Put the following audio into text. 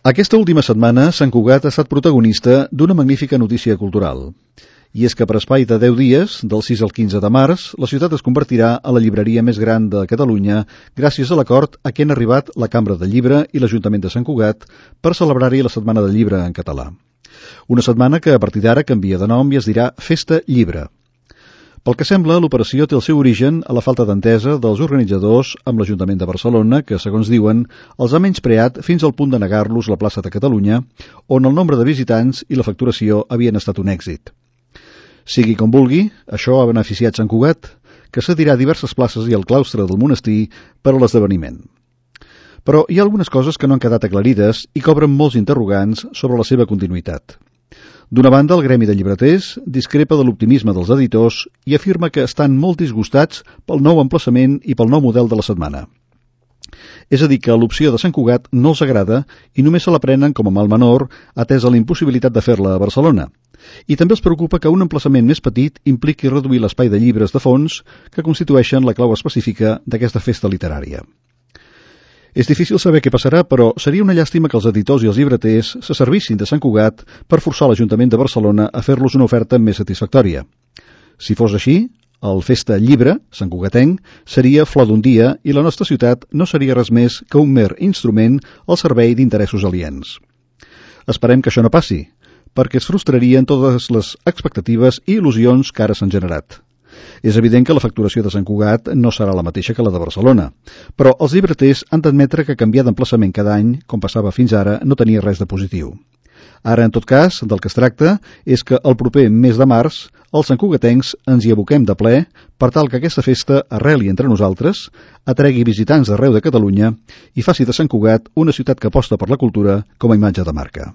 Aquesta última setmana, Sant Cugat ha estat protagonista d'una magnífica notícia cultural. I és que per espai de 10 dies, del 6 al 15 de març, la ciutat es convertirà a la llibreria més gran de Catalunya gràcies a l'acord a què han arribat la Cambra del Llibre i l'Ajuntament de Sant Cugat per celebrar-hi la Setmana del Llibre en català. Una setmana que a partir d'ara canvia de nom i es dirà Festa Llibre. Pel que sembla, l'operació té el seu origen a la falta d'entesa dels organitzadors amb l'Ajuntament de Barcelona, que, segons diuen, els ha menyspreat fins al punt de negar-los la plaça de Catalunya, on el nombre de visitants i la facturació havien estat un èxit. Sigui com vulgui, això ha beneficiat Sant Cugat, que cedirà diverses places i el claustre del monestir per a l'esdeveniment. Però hi ha algunes coses que no han quedat aclarides i cobren molts interrogants sobre la seva continuïtat. D'una banda, el gremi de llibreters discrepa de l'optimisme dels editors i afirma que estan molt disgustats pel nou emplaçament i pel nou model de la setmana. És a dir, que l'opció de Sant Cugat no els agrada i només se la prenen com a mal menor, atesa la impossibilitat de fer-la a Barcelona. I també els preocupa que un emplaçament més petit impliqui reduir l'espai de llibres de fons que constitueixen la clau específica d'aquesta festa literària. És difícil saber què passarà, però seria una llàstima que els editors i els llibreters se servissin de Sant Cugat per forçar l'Ajuntament de Barcelona a fer-los una oferta més satisfactòria. Si fos així, el Festa Llibre, Sant Cugatenc, seria flor d'un dia i la nostra ciutat no seria res més que un mer instrument al servei d'interessos aliens. Esperem que això no passi, perquè es frustrarien totes les expectatives i il·lusions que ara s'han generat. És evident que la facturació de Sant Cugat no serà la mateixa que la de Barcelona, però els llibreters han d'admetre que canviar d'emplaçament cada any, com passava fins ara, no tenia res de positiu. Ara, en tot cas, del que es tracta és que el proper mes de març els santcugatencs ens hi aboquem de ple per tal que aquesta festa arreli entre nosaltres, atregui visitants d'arreu de Catalunya i faci de Sant Cugat una ciutat que aposta per la cultura com a imatge de marca.